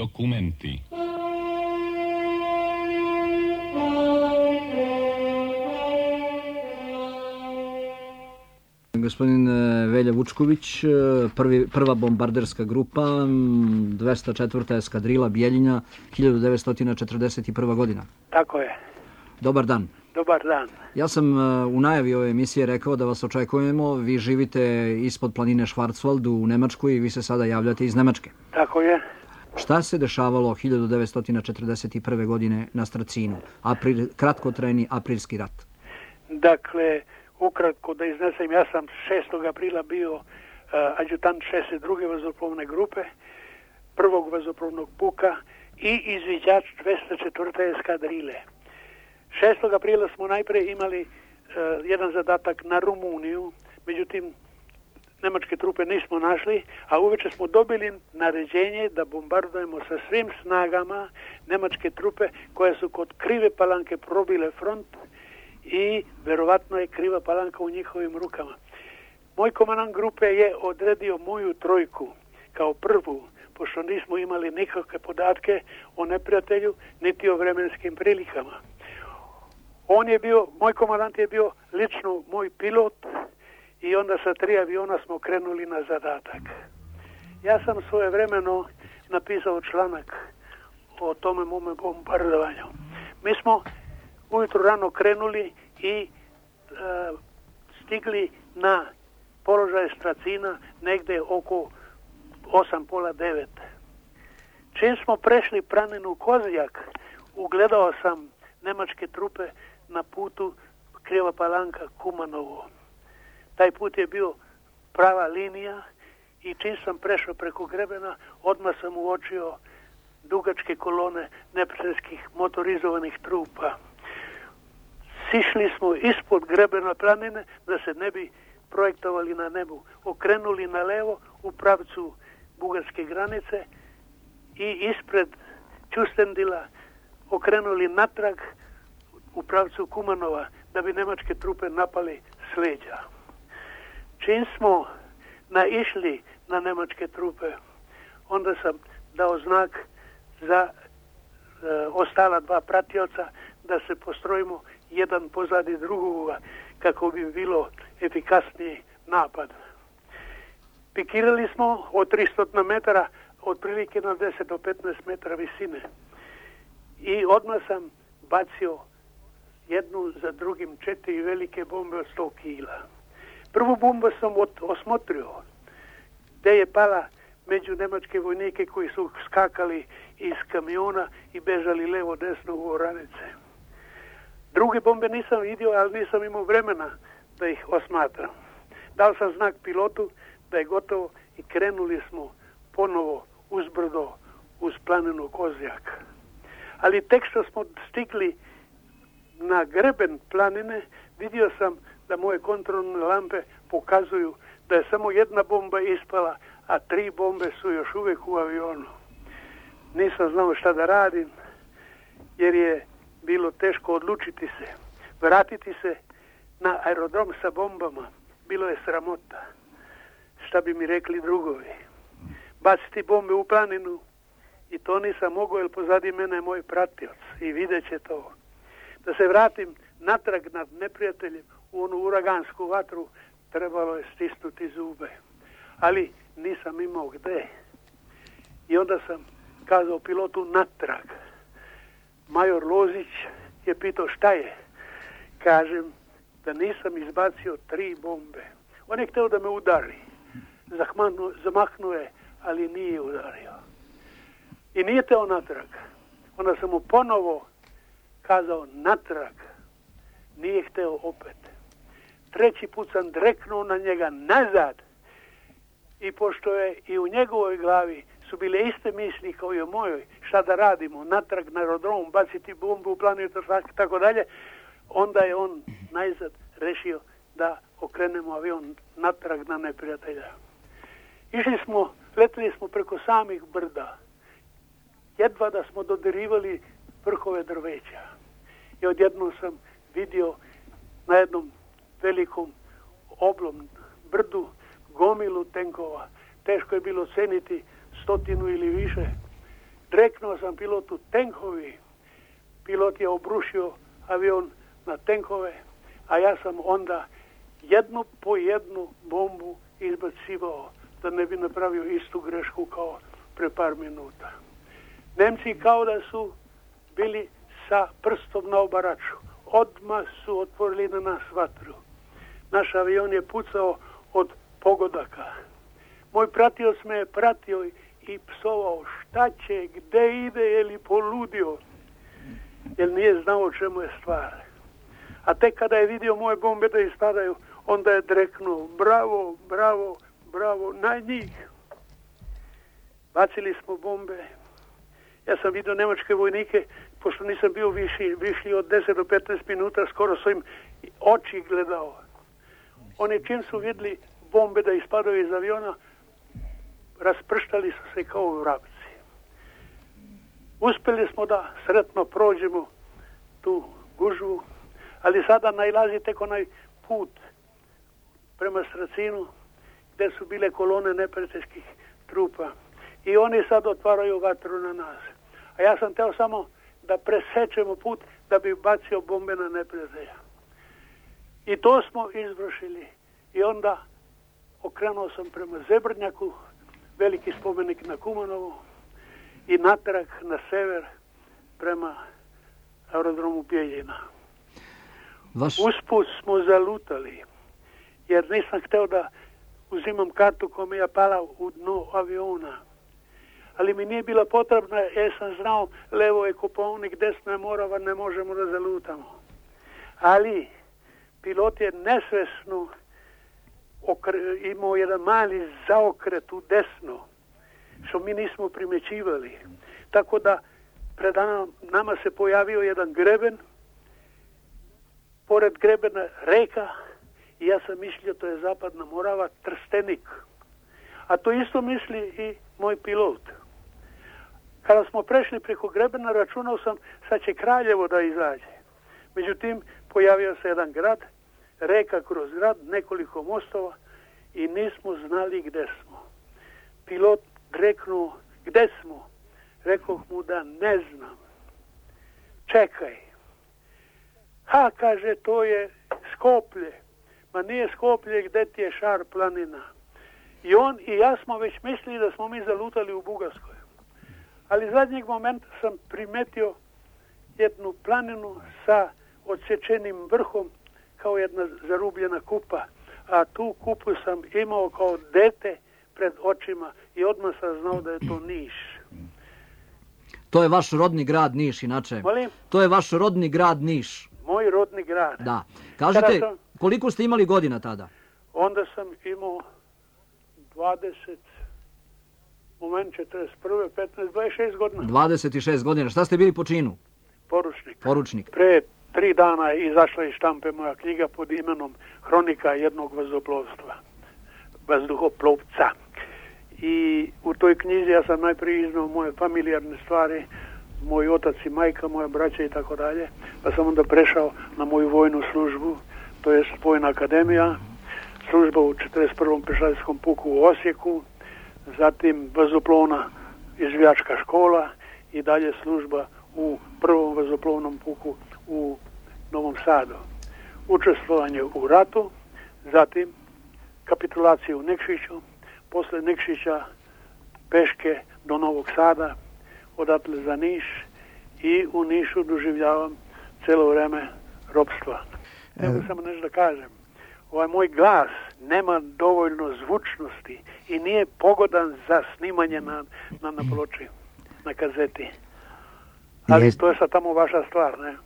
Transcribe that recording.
dokumenti. Gospodin Velja Vučković, prva bombarderska grupa, 204. eskadrila Bijeljina, 1941. godina. Tako je. Dobar dan. Dobar dan. Ja sam u najavi ove emisije rekao da vas očekujemo. Vi živite ispod planine Schwarzwald u Nemačkoj i vi se sada javljate iz Nemačke. Tako je. Šta se dešavalo 1941. godine na Stracinu? Kratkotrajni aprilski rat. Dakle, ukratko da iznesem, ja sam 6. aprila bio adjutant 62. vazduhoplovne grupe, prvog vazduhoplovnog puka i izviđač 204. eskadrile. 6. aprila smo najprije imali jedan zadatak na Rumuniju, međutim nemačke trupe nismo našli, a uveče smo dobili naređenje da bombardujemo sa svim snagama nemačke trupe koje su kod Krive Palanke probile front i verovatno je Kriva Palanka u njihovim rukama. Moj komandant grupe je odredio moju trojku kao prvu, pošto nismo imali nikakve podatke o neprijatelju niti o vremenskim prilikama. Moj komandant je bio lično moj pilot i onda sa 3 aviona smo krenuli na zadatak. Ja sam svojevremeno napisao članak o tome mome bombardovanju. Mi smo ujutro rano krenuli i stigli na položaj Stracina negdje oko 8:30. Čim smo prešli planinu Kozjak, ugledao sam nemačke trupe na putu Kriva Palanka Kumanovo. Taj put je bio prava linija i čim sam prešao preko grebena, odmah sam uočio dugačke kolone neprijateljskih motorizovanih trupa. Sišli smo ispod grebena planine da se ne bi projektovali na nebu. Okrenuli na levo u pravcu bugarske granice i ispred Ćustendila okrenuli natrag u pravcu Kumanova da bi nemačke trupe napali s leđa. Čim smo naišli na nemačke trupe, onda sam dao znak za ostala 2 pratioca da se postrojimo jedan pozadi drugoga kako bi bilo efikasniji napad. Pikirali smo od 300 metara otprilike na 10 do 15 metara visine i odmah sam bacio jednu za drugim 4 velike bombe od 100 kila. Prvu bombu sam osmotrio gdje je pala među nemačke vojnike koji su skakali iz kamiona i bežali levo desno u oranice. Druge bombe nisam vidio, ali nisam imao vremena da ih osmatram. Dao sam znak pilotu da je gotovo i krenuli smo ponovo uzbrdo uz planinu Kozjak. Ali tek što smo stigli na greben planine, vidio sam da moje kontrolne lampe pokazuju da je samo jedna bomba ispala, a 3 bombe su još uvijek u avionu. Nisam znao šta da radim, jer je bilo teško odlučiti se. Vratiti se na aerodrom sa bombama bilo je sramota. Šta bi mi rekli drugovi? Baciti bombe u planinu i to nisam mogao, jer pozadi mene je moj pratioc i vidjet će to. Da se vratim natrag nad neprijateljem u onu uragansku vatru, trebalo je stisnuti zube. Ali nisam imao gde. I onda sam kazao pilotu natrag. Major Lozić je pitao šta je. Kažem da nisam izbacio 3 bombe. On je htio da me udari. Zamahnuo je, ali nije udario. I nije teo natrag. Onda sam mu ponovo kazao natrag. Nije hteo opet. 3. put sam dreknuo na njega nazad. I pošto je i u njegovoj glavi su bile iste misli kao i u mojoj, šta da radimo, natrag na aerodrom, baciti bombu u planinu, tako dalje, onda je on najzad rešio da okrenemo avion natrag na neprijatelja. Letili smo preko samih brda. Jedva da smo dodirivali vrhove drveća. I odjednom sam vidio na jednom velikom oblom brdu gomilu tenkova. Teško je bilo ceniti 100 ili više. Dreknuo sam pilotu tenkovi. Pilot je obrušio avion na tenkove, a ja sam onda jednu po jednu bombu izbacivao da ne bi napravio istu grešku kao pre par minuta. Nemci kao da su bili sa prstom na obaraču. Odmah su otvorili na nas vatru. Naš avion je pucao od pogodaka. Moj pratioc me je pratio i psovao šta će, gde ide, je li poludio, jer nije znao o čemu je stvar. A tek kada je vidio moje bombe da ispadaju, onda je dreknuo bravo, bravo, bravo, na njih. Bacili smo bombe. Ja sam vidio nemačke vojnike, pošto nisam bio viši od 10 do 15 minuta, skoro sam im oči gledao. Oni čim su vidjeli bombe da ispadaju iz aviona, rasprštali su se kao vrapci. Uspjeli smo da sretno prođemo tu gužvu, ali sada nailazi tek onaj put prema Stracinu, gdje su bile kolone neprijateljskih trupa. I oni sad otvaraju vatru na nas. A ja sam teo samo da presečemo put da bi bacio bombe na neprijatelja. I to smo izvršili. I onda okrenuo sam prema Zebrnjaku, veliki spomenik na Kumanovu, i natrag na sever prema aerodromu Bjeljina. Usput smo zalutali, jer nisam hteo da uzimam kartu koja mi je pala u dno aviona. Ali mi nije bila potrebna, jer sam znao levo je Kopaonik, desno je Morava, ne možemo da zalutamo. Ali pilot je nesvesno imao jedan mali zaokret u desno, što mi nismo primećivali. Tako da pred nama se pojavio jedan greben, pored grebena reka, i ja sam mislio to je zapadna Morava, Trstenik. A to isto misli i moj pilot. Kada smo prešli preko grebena, računao sam sad će Kraljevo da izađe. Međutim, pojavio se jedan grad, reka kroz grad, nekoliko mostova i nismo znali gde smo. Pilot reknuo, gde smo? Rekoh mu da ne znam. Čekaj. Ha, kaže, to je Skoplje. Ma nije Skoplje, gde ti je Šar planina. I on i ja smo već mislili da smo mi zalutali u Bugarskoj. Ali zadnjeg momenta sam primetio jednu planinu sa odsječenim vrhom kao jedna zarubljena kupa. A tu kupu sam imao kao dete pred očima i odmah sam znao da je to Niš. To je vaš rodni grad Niš, inače. Molim? To je vaš rodni grad Niš. Moj rodni grad. Da. Kažete, koliko ste imali godina tada? Onda sam imao 20, moment 41, 15, 26 godina. 26 godina. Šta ste bili po činu? Poručnik. Poručnik. Pre 3 dana je izašla iz štampe moja knjiga pod imenom Hronika jednog vazduhoplovca. I u toj knjizi ja sam najprije iznao moje familijarne stvari, moj otac i majka, moja braća i tako dalje, pa sam onda prešao na moju vojnu službu, to je Vojna akademija, služba u 41. pešadijskom puku u Osijeku, zatim vazoplovna izvijačka škola i dalje služba u prvom vazoplovnom puku u Novom Sadu. Učestvovanje u ratu, zatim kapitulacija u Nikšiću, posle Nikšića peške do Novog Sada, odatle za Niš i u Nišu doživljavam celo vreme ropstva. Evo samo nešto da kažem. Ovaj moj glas nema dovoljno zvučnosti i nije pogodan za snimanje na ploči, na kazeti. Ali to je sad tamo vaša stvar, ne?